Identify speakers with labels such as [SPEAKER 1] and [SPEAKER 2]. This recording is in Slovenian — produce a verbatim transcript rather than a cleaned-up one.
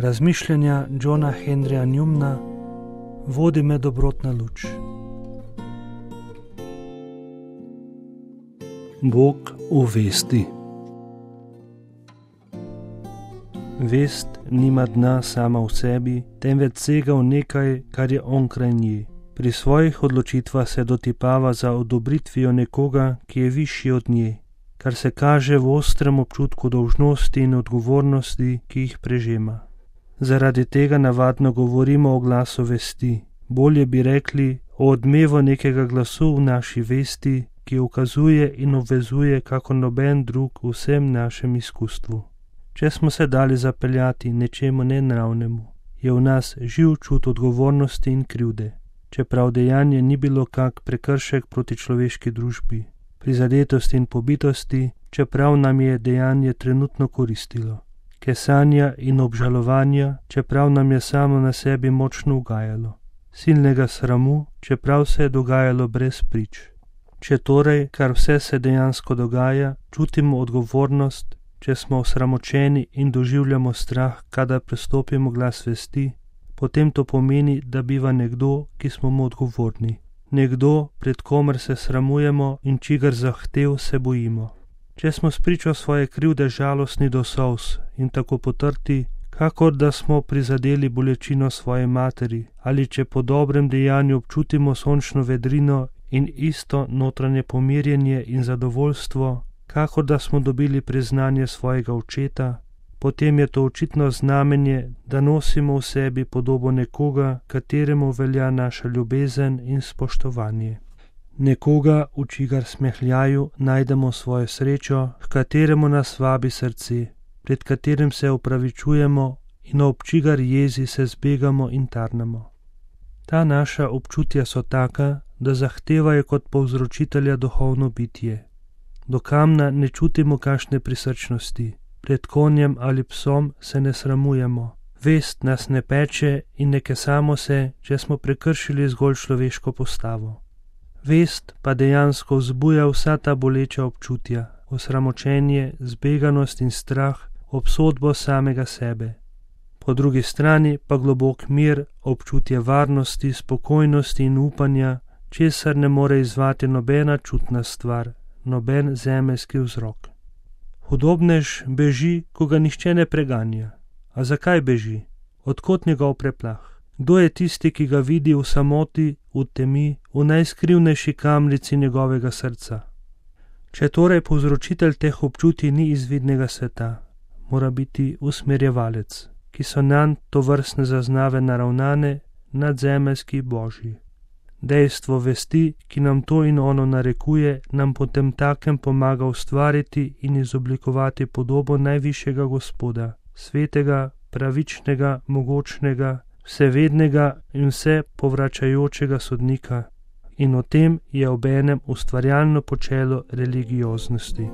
[SPEAKER 1] Razmišljanja Johna Henryja Newmana, vodi me dobrotna luč. Bog v vesti. Vest nima dna sama v sebi, temveč sega v nekaj, kar je onkraj nje. Pri svojih odločitvah se dotipava za odobritvijo nekoga, ki je višji od nje, kar se kaže v ostrem občutku dolžnosti in odgovornosti, ki jih prežema. Zaradi tega navadno govorimo o glasu vesti, bolje bi rekli o odmevu nekega glasu v naši vesti, ki ukazuje in obvezuje kako noben drug v vsem našem izkustvu. Če smo se dali zapeljati nečemu nenravnemu, je v nas živ čut odgovornosti in krivde, čeprav dejanje ni bilo kak prekršek proti človeški družbi, prizadetosti in pobitosti, čeprav nam je dejanje trenutno koristilo, kesanja in obžalovanja, čeprav nam je samo na sebi močno ugajalo, silnega sramu, čeprav se je dogajalo brez prič. Če torej, kar vse se dejansko dogaja, čutimo odgovornost, če smo osramočeni in doživljamo strah, kadar prestopimo glas vesti, potem to pomeni, da biva nekdo, ki smo mu odgovorni. Nekdo, pred komer se sramujemo in čigar zahtev se bojimo. Če smo spričo svoje krivde žalostni do solz in tako potrti, kakor da smo prizadeli bolečino svoje materi, ali če po dobrem dejanju občutimo sončno vedrino in isto notranje pomirjenje in zadovoljstvo, kakor da smo dobili priznanje svojega očeta, potem je to očitno znamenje, da nosimo v sebi podobo nekoga, kateremu velja naša ljubezen in spoštovanje. Nekoga, v čigar smehljaju najdemo svojo srečo, h kateremu nas vabi srce, pred katerim se opravičujemo in ob čigar jezi se zbegamo in tarnamo. Ta naša občutja so taka, da zahtevajo kot povzročitelja duhovno bitje. Do kamna ne čutimo kakšne prisrčnosti, pred konjem ali psom se ne sramujemo, vest nas ne peče in ne kesamo se, če smo prekršili zgolj človeško postavo. Vest pa dejansko vzbuja vsa ta boleča občutja, osramočenje, zbeganost in strah, obsodbo samega sebe. Po drugi strani pa globok mir, občutje varnosti, spokojnosti in upanja, česar ne more izvati nobena čutna stvar, noben zemeljski vzrok. Hudobnež beži, ko ga nihče ne preganja. A zakaj beži? Odkot njegov preplah? Kdo je tisti, ki ga vidi v samoti, v temi, v najskrivnejši kamrici njegovega srca? Če torej povzročitelj teh občutij ni iz vidnega sveta, mora biti usmerjevalec, ki so nanj tovrstne zaznave naravnane, nadzemeljski božji. Dejstvo vesti, ki nam to in ono narekuje, nam potem takem pomaga ustvariti in izoblikovati podobo najvišjega Gospoda, svetega, pravičnega, mogočnega, vsevednega in vse povračajočega sodnika. In o tem je obenem ustvarjalno počelo religioznosti.